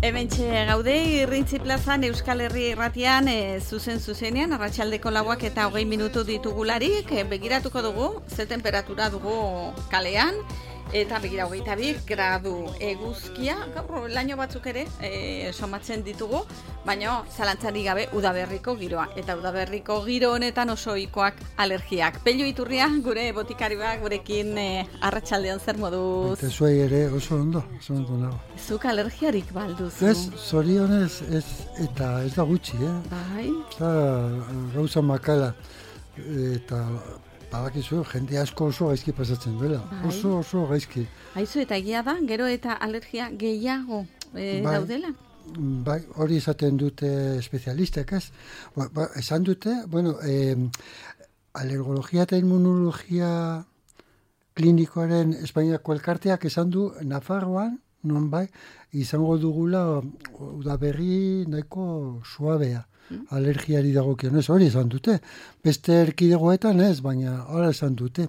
Hementxe gaude, Irrintzi plazan Euskal Herri Irratian zuzenean, arratsaldeko 4 eta 20 minutu ditugularik, begiratuko dugu, ze temperatura dugu kalean, eta begira 22 gradu eguzkia, gaur laino batzuk ere somatzen ditugu, baina zalantzarik gabe udaberriko giroa. Eta udaberriko giro honetan oso ohikoak alergiak. Pello Iturria, gure botikarioak, gurekin arratsaldean zer moduz? Eta zuei ere oso ondo nago. Zuk alergiarik balduzu? Ez, zorionez ez, eta ez da gutxi, Bai? Eta gauza makala, eta badakizu, jende asko oso gaizki pasatzen duela. Bai. Oso gaizki. Aizu, eta egia da, gero eta alergia gehiago daudela? Bai, hori esaten dute espezialistek, ez? Esan dute, alergologia eta immunologia klinikoaren Espainiako elkarteak esan du Nafarroan, non bai, izango dugula udaberri nahiko suabea. Alergiari dagokionez hori esan dute. Beste erkidegoetan ez, baina hori esan dute.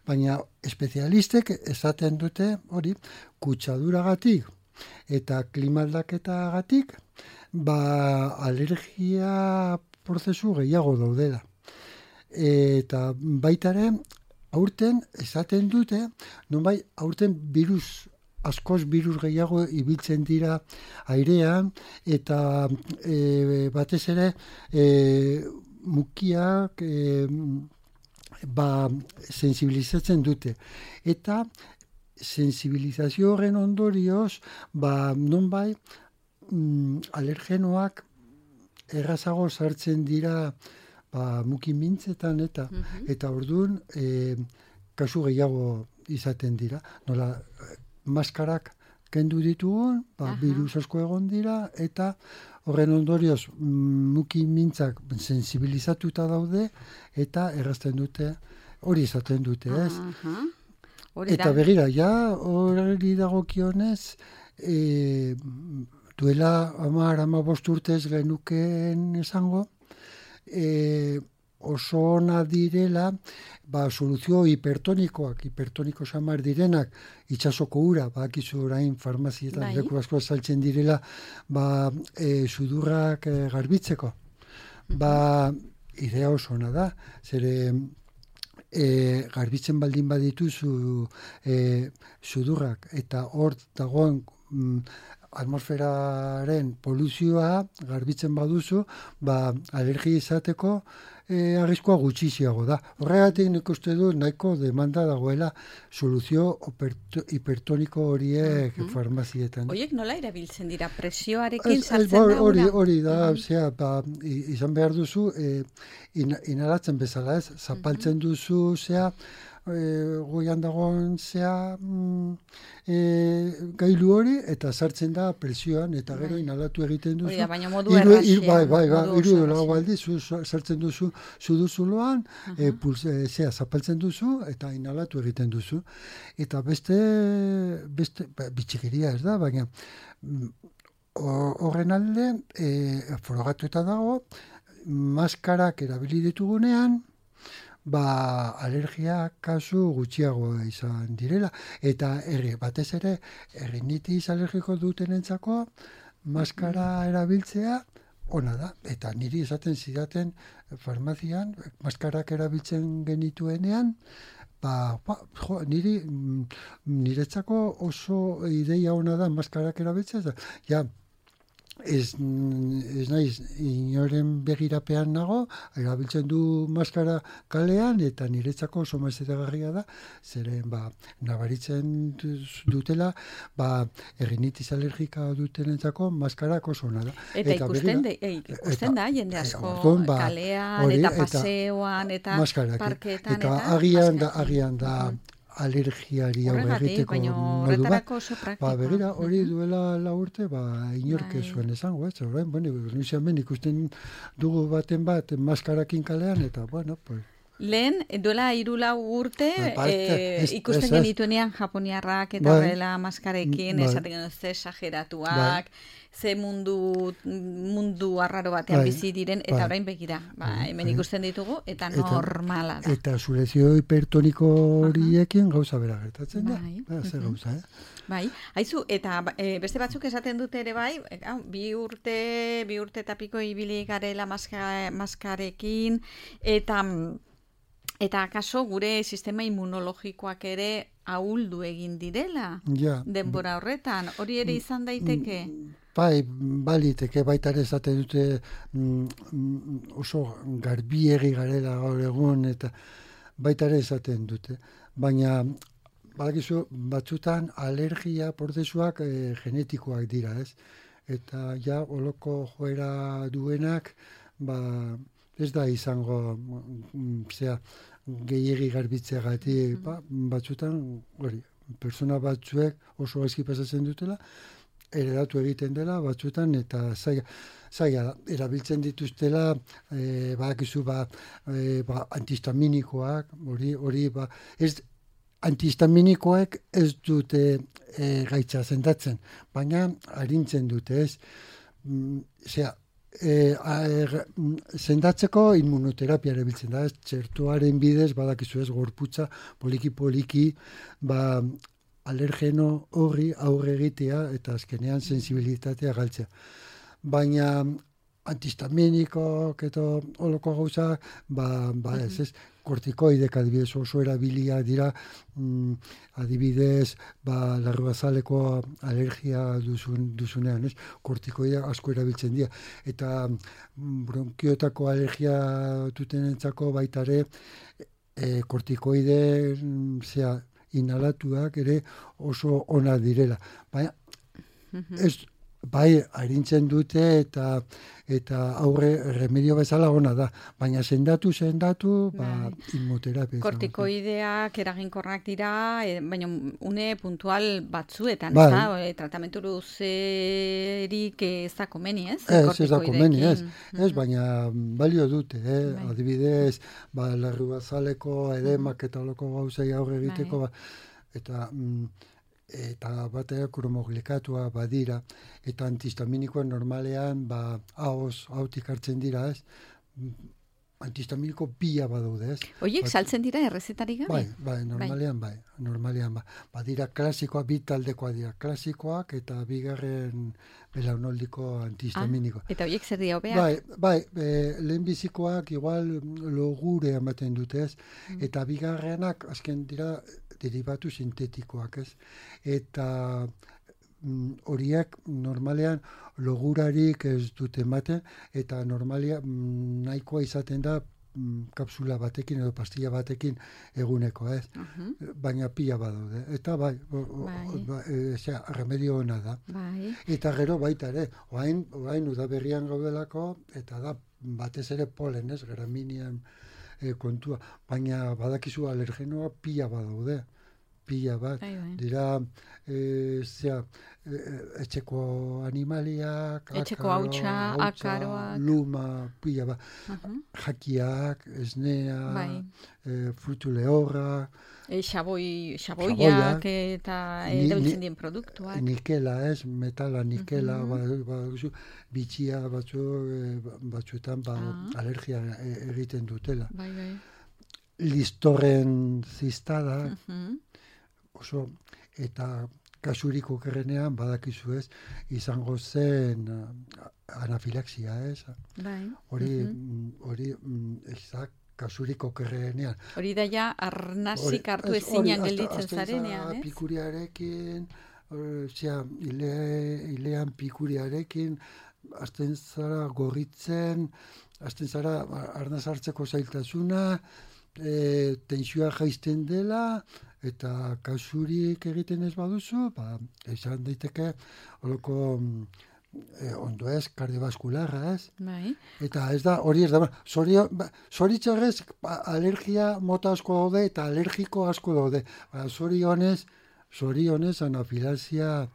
Baina espezialistek esaten dute hori kutsaduragatik eta klimaldaketagatik alergia prozesu gehiago daudela. Eta baitare aurten esaten dute, nonbai aurten askoz birus gehiago ibiltzen dira airean, eta batez ere mukiak sensibilizatzen dute. Eta sensibilizazio horren ondorioz, nonbai alergenoak errazago sartzen dira muki mintzetan eta orduan kasu gehiago izaten dira. Nola, maskarak kendu ditugun, virus asko egon dira, eta horren ondorioz muki mintzak sensibilizatuta daude, eta errazten dute, hori izaten dute, ez? Eta begira, hori dagokionez, duela 10-15 urtez genukeen esango, oso ona direla, soluzio hipertoniko samar direnak, itsasoko ura, bakizu orain farmazietan leku asko saltzen direla, sudurrak garbitzeko. Idea oso ona da, zere garbitzen baldin badituzu sudurrak, eta hor dagoen atmosferaren poluzioa garbitzen baduzu, alergia izateko arriskua gutxiago da. Horregatik nik uste du nahiko demanda dagoela soluzio hipertoniko horiek farmazietan. Oiek nola erabiltzen dira? Presioarekin sartzen da? Hori da, izan behar duzu, inhalatzen bezala ez, zapaltzen duzu, goian dagoen gailu hori, eta sartzen da presioan, eta gero inhalatu egiten duzu. Oida, baina modu erraxean. Bai, sartzen duzu suduzuloan, zapaltzen duzu, eta inhalatu egiten duzu. Eta beste bitxikeria ez da, baina horren alde, frogatuta dago, maskarak erabili ditugunean, alergia kasu gutxiago izan direla. Eta batez ere, rinitis alergiko dutenentzako maskara erabiltzea ona da. Eta niri esaten zidaten farmazian, maskarak erabiltzen genituenean, niretzako oso ideia ona da maskarak erabiltzea. Ez naiz inoren begirapean nago, erabiltzen du maskara kalean, eta niretzako oso maizetagarria da, zeren nabaritzen dutela, rinitis alergika dutenentzako maskarak oso ona da. Eta ikusten da, jende asko kalean, eta paseoan, eta parketan, eta agian da alergiari hau egiteko modu bat. Begira, hori duela 4 urte, inork ez zuen esango, ez? Nuiziamen ikusten dugu baten bat maskarakin kalean, eta, Lehen, duela 3-4 urte, ikusten genituenean japoniarrak eta horrela maskarekin, esaten genuen ze esageratuak, ze mundu arraro batean bizi diren, eta orain begira, hemen ikusten ditugu, eta normala da. Eta surezio hipertoniko horiekin gauza bera gertatzen da. Zer gauza, Bai, haizu, eta beste batzuk esaten dute ere bai, bi urte eta piko ibili garela maskarekin, eta akaso gure sistema immunologikoak ere ahuldu egin direla denbora horretan, hori ere izan daiteke? Bai, baliteke baita ere esaten dute oso garbiegi garela gaur egun, eta baita ere esaten dute, baina badakizu batzutan alergia prozesuak genetikoak dira, ez? Eta ja oloko joera duenak, ez da izango gehiegi garbitzeagatik, batzutan hori, persona batzuek oso gaizki pasatzen dutela, heredatu egiten dela batzutan, eta zaila erabiltzen dituztela, badakizu antihistaminikoak, hori ez antihistaminikoek ez dute gaitza sendatzen, baina arintzen dute, ez? Sendatzeko immunoterapia erabiltzen da, txertoaren bidez, badakizu ez, gorputza, poliki, alergeno horri aurre egitea eta azkenean sensibilitatea galtzea. Baina antihistaminikoak eta holoko gauza, ez, kortikoidek adibidez oso erabilia dira, adibidez, larruazaleko alergia duzunean, ez? Kortikoidea asko erabiltzen dira. Eta bronkiotako alergia dutenentzako baitare, kortikoide inhalatuak ere oso ona direla. Baina, bai, arintzen dute eta aurre remedio bezala ona da, baina sendatu, immunoterapia. Kortikoideak eraginkorrak dira, baina une puntual batzuetan, tratamentu luzerik ez da komeni, ez? Ez da komeni, ez, baina balio dute, adibidez, larruazaleko edemak eta oloko gauzei aurre egiteko, eta batea kromoglikatuak badira, eta antihistaminikoa normalean hautik hartzen dira, ez? Antihistaminiko pila badaude, ez? Oiek saltzen dira errezetarik gabe? Bai, normalean. Badira klasikoak, bi taldekoak dira, klasikoak eta bigarren belaunaldiko antihistaminikoa. Eta oiek zer dira hobeak? Bai, lehenbizikoak igual logure ematen dute, ez? Eta bigarrenak, azken dira, derivatu sintetikoak, ez? Eta horiek normalean logurarik ez dute ematen, eta nahikoa izaten da kapsula batekin edo pastilla batekin eguneko, ez? Baina pila badaude. Eta remedio ona da. Eta gero baita ere, oain udaberrian gaudelako, eta da batez ere polen, ez? Graminian kontua, baina badakizu alergenoa pila badaude. Pila bat, dira etxeko animaliak, etxeko hautsa, akaroak, luma, pila bat, jakiak, esnea, frutu lehorra, xaboiak eta erabiltzen dien produktuak. Nikela, ez, metala, nikela, bitxia batzuetan alergia egiten dutela. Listorren zistada, oso, eta kasurik okerrenean badakizu ez, izango zen anafilaxia, ez? Hori ezak kasurik okerrenean. Hori da ja arnazik hartu ezinan gelditzen zarenean, ez? Pikuriarekin, ilean pikuriarekin, azten zara gorritzen, azten zara arnaz hartzeko zailtasuna, tentsioa jaizten dela, eta kasurik egiten ez baduzu, esan daiteke holoko ondo ez, kardiobaskularra, ez? Eta ez da, hori ez da, zoritzarrez alergia mota asko daude eta alergiko asko daude. Zorionez anafilaxia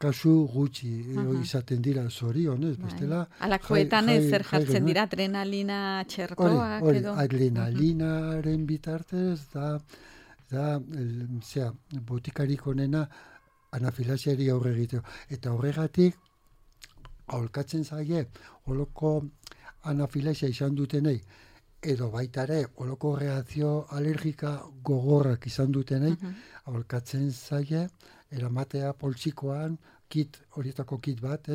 kasu gutxi izaten dira zorionez, bestela... Alakoetan zer jartzen dira, adrenalina txertoak edo? Adrenalinaren bitartez botikarik onena anafilaxiari aurre egiteko. Eta horregatik, aholkatzen zaie, holoko anafilaxia izan dutenei, edo baita ere, holoko reakzio alergika gogorrak izan dutenei, aholkatzen zaie, eramatea poltsikoan, horietako kit bat,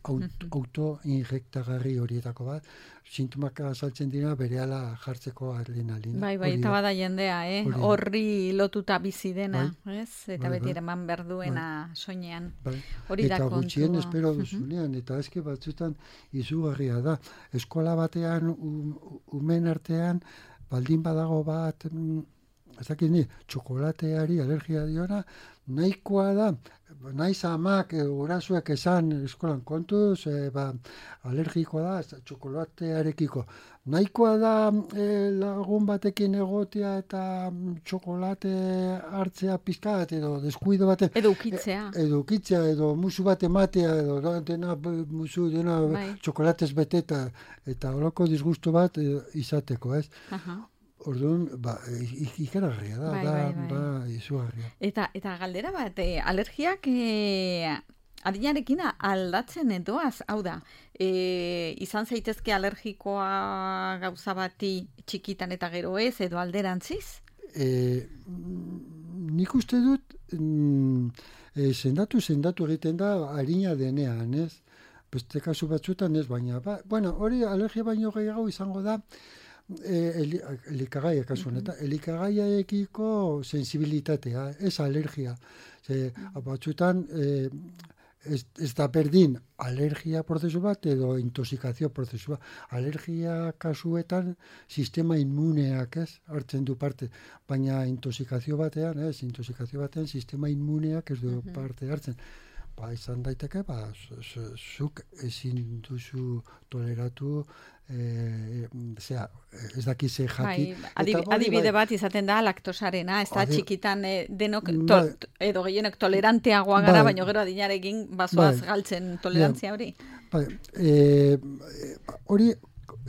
autoinjektagarri horietako bat, sintomak azaltzen dira berehala jartzeko adrenalina. Bai, eta bada jendea, horri lotuta bizi dena, ez? Eta beti eman behar duena soinean. Hori da kontua. Eta gutxien espero duzunean, eta eske batzutan izugarria da. Eskola batean, umen artean, baldin badago bat, txokolateari alergia diona, nahikoa da, naiz amak gurasoek esan eskolan kontuz, alergikoa da, txokolatearekiko. Nahikoa da lagun batekin egotea eta txokolate hartzea pizkat edo deskuido baten. Edo ukitzea. Edo musu bat ematea, edo dena musu dena txokolatez beteta, eta holoko disgustu bat izateko, ez? Orduan, ikaragarria da, izugarria. Eta galdera bat, alergiak adinarekin aldatzen edoaz, hau da, izan zaitezke alergikoa gauza bati txikitan eta gero ez, edo alderantziz? Nik uste dut, sendatu egiten da harina denean, ez? Beste kasu batzutan ez, baina, hori alergia baino gehiago izango da, elikagaiak kasuan, eta elikagaiaekiko sensibilitatea, ez alergia. Batzutan, ez da berdin alergia prozesu bat edo intoxikazio prozesu bat. Alergia kasuetan sistema inmuneak hartzen du parte, baina intoxikazio batean sistema inmuneak ez du parte hartzen. Izan daiteke, zuk ezin duzu toleratu, ez dakize jaki. Adibide bat izaten da laktosarena, ez da txikitan denok edo gehienek toleranteagoa gara, baina gero adinarekin bazoaz galtzen tolerantzia hori. Hori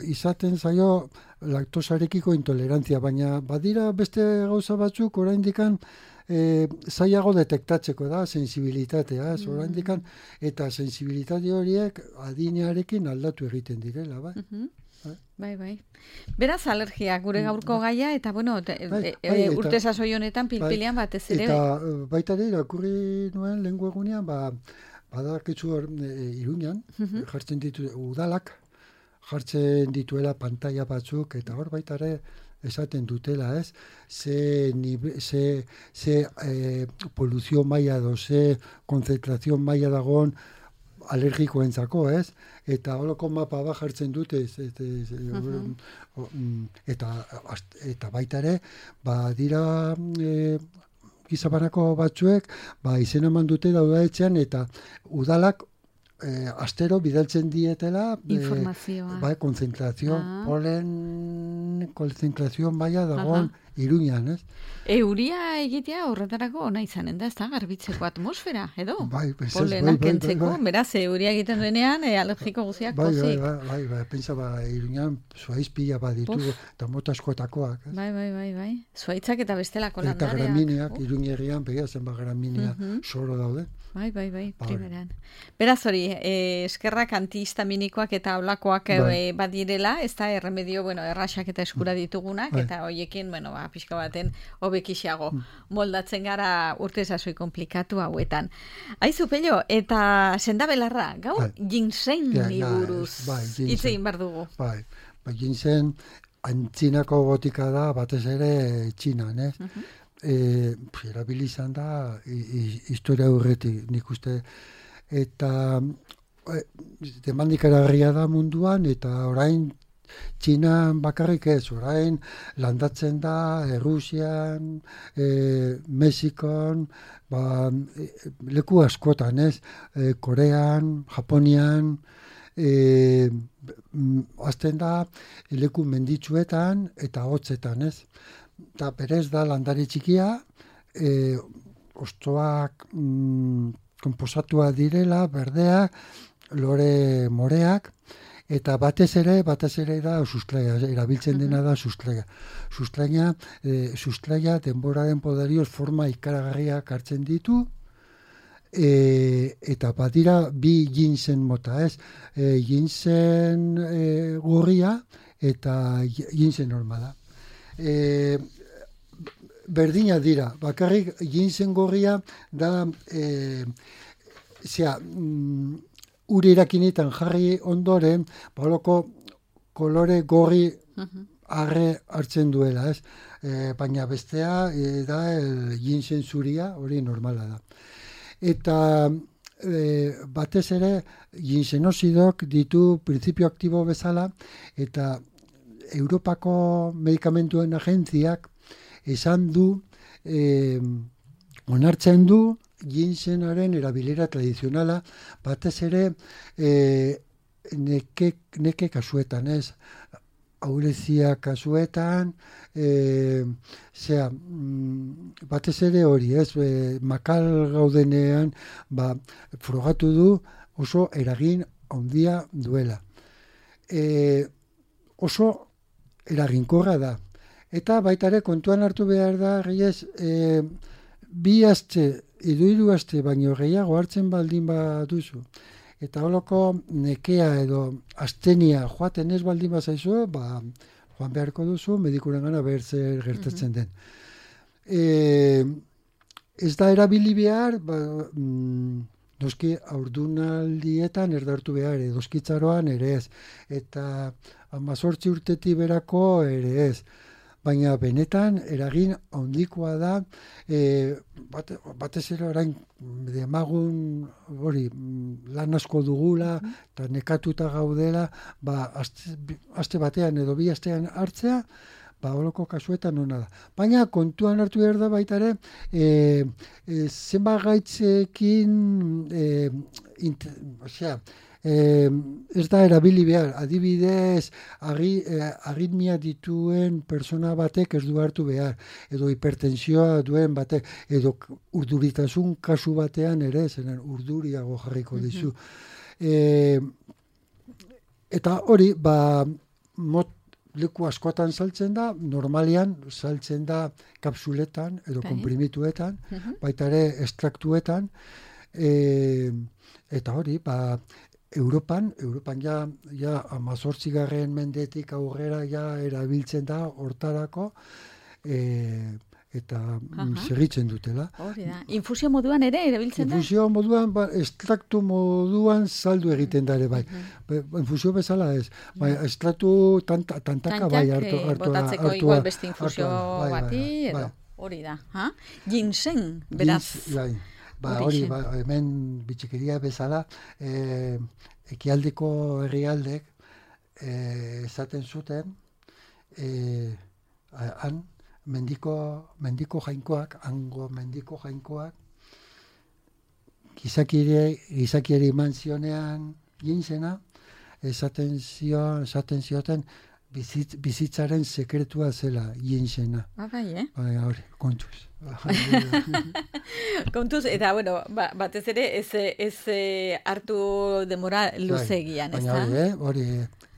izaten zaio laktosarekiko intolerantzia, baina badira beste gauza batzuk oraindikan zailago detektatzeko da, sensibilitatea, oraindikan, eta sensibilitate horiek adinearekin aldatu egiten direla, Bai. Beraz, alergia, gure gaurko gaia, eta urte sasoi honetan pilpilean batez ere. Eta baita ere, irakurri nuen lehengo egunean, badakitzu Iruñan, jartzen ditu udalak, jartzen dituela pantalla batzuk, eta hor baita ere, esaten dutela, ez? Ze poluzio maila ze konzentrazio maila dagoen alergikoentzako, ez? Eta holoko mapa bat jartzen dute, eta baita ere, dira gizabanako batzuek, izena eman dute daudaetxean, eta udalak astero bidaltzen dietela informazioa. Konzentrazio, konzentrazio maila dagoen Iruñan, ez? Euria egitea horretarako ona izanen da, ez da, garbitzeko atmosfera, edo? Polenak kentzeko, beraz, euria egiten duenean, alergiko guziak pozik. Bai, pentsa Iruñan zuaiz pila baditu, eta mota askotakoak. Bai. Zuaitzak eta bestelako landareak. Eta gramineak, Iruñerrian, begia zenba graminia soro daude. Bai, primeran. Beraz hori, eskerrak antihistaminikoak eta olakoak badirela, ez da erremedio, erraxak eta eskura ditugunak, eta hoiekin, pixka baten hobekixago moldatzen gara urte sasoi komplikatu hauetan. Aizu, Pello, eta sendabelarra, gaur ginseng buruz hitz egin behar dugu. Bai, ginseng antzinako botika da, batez ere Txinan, ez? Erabili izan da historia aurretik, nik uste, eta demandikaragarria da munduan, eta orain Txinan bakarrik ez, orain landatzen da Rusian, Mexikon, leku askotan, ez? Korean, Japonian, azten da leku menditsuetan eta hotzetan, ez? Eta berez da landare txikia, ostoak deskomposatua direla, berdeak, lore moreak, eta batez ere da sustraia, erabiltzen dena da sustraia. Sustraia denboraren poderioz forma ikaragarriak hartzen ditu, eta badira bi ginseng mota, ez? Ginseng gorria eta ginseng normala. Berdina dira, bakarrik ginseng gorria da uri irakinetan jarri ondoren, baloko kolore gorri arre hartzen duela, ez? Baina bestea da ginseng zuria, hori normala da. Eta batez ere ginsenozidok ditu printzipio aktibo bezala, eta Europako medikamentuen agentziak esan du, onartzen du ginsenaren erabilera tradizionala, batez ere neke kasuetan, ez? Aurezia kasuetan, batez ere hori, ez? Makal gaudenean, frogatu du oso eragin handia duela. Oso eraginkorra da. Eta baita ere kontuan hartu behar da, gehiez, 2 aste, edo 3 aste, baino gehiago hartzen baldin baduzu. Eta holoko nekea edo astenia joaten ez baldin bazaizu, joan beharko duzu, medikurengana behar zer gertatzen den. Ez da erabili behar, noski haurdunaldietan erdartu behar, edoskitzaroan ere ez, eta 18 urtetik berako ere ez. Baina benetan eragin handikoa da, batez ere orain demagun hori lan asko dugula eta nekatuta gaudela, aste batean edo 2 astean hartzea, holoko kasuetan ona da. Baina kontuan hartu behar da baita ere, zenbat gaitzekin, ez da erabili behar, adibidez, aritmia dituen persona batek ez du hartu behar, edo hipertensioa duen batek, edo urduritasun kasu batean ere, zenen urduriago jarriko dizu. Eta hori, leku askotan saltzen da, normalian saltzen da kapsuletan edo komprimituetan, baita ere estraktuetan, eta hori, Europan ja 18. mendetik aurrera ja erabiltzen da hortarako, eta segitzen dutela. Hori da. Infusio moduan ere erabiltzen da? Infusio moduan, estraktu moduan saldu egiten da ere, bai. Infusio bezala ez. Estraktu tantaka bai hartu. Botatzeko igual beste infusio bati, edo hori da. Ginseng, beraz. Hori, hemen bitxikeria bezala, ekialdeko herrialdek esaten zuten, han mendiko jainkoak, hango mendiko jainkoak, gizakiari eman zionean ginsena, esaten zioten, bizitzaren sekretua zela ginsena. Bai, hori, kontuz. Kontuz, eta, batez ere ez hartu demora luzegian, ez da? Baina hori,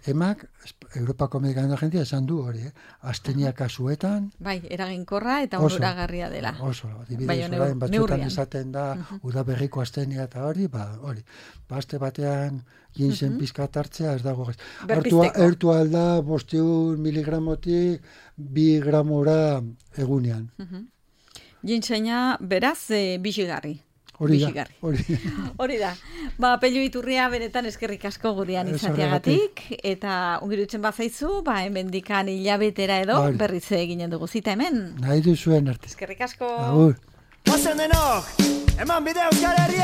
emak, Europako medikamentu agentzia esan du hori, astenia kasuetan. Bai, eraginkorra eta onuragarria dela. Oso, adibidez, orain batzuetan esaten da, udaberriko astenia eta hori, aste batean ginsen pizkat hartzea ez dago. Ertu alda 500 miligramotik 2 gramora egunean. Ginsena, beraz, bizigarri. Hori da. Pello Iturria benetan eskerrik asko gurean izateagatik, eta ongirutzen bazaizu, hemendikan hilabetera edo berriz eginen dugu zita hemen. Nahi duzuen arte. Eskerrik asko. Agur. Ozen denok, eman bide Euskal Herria!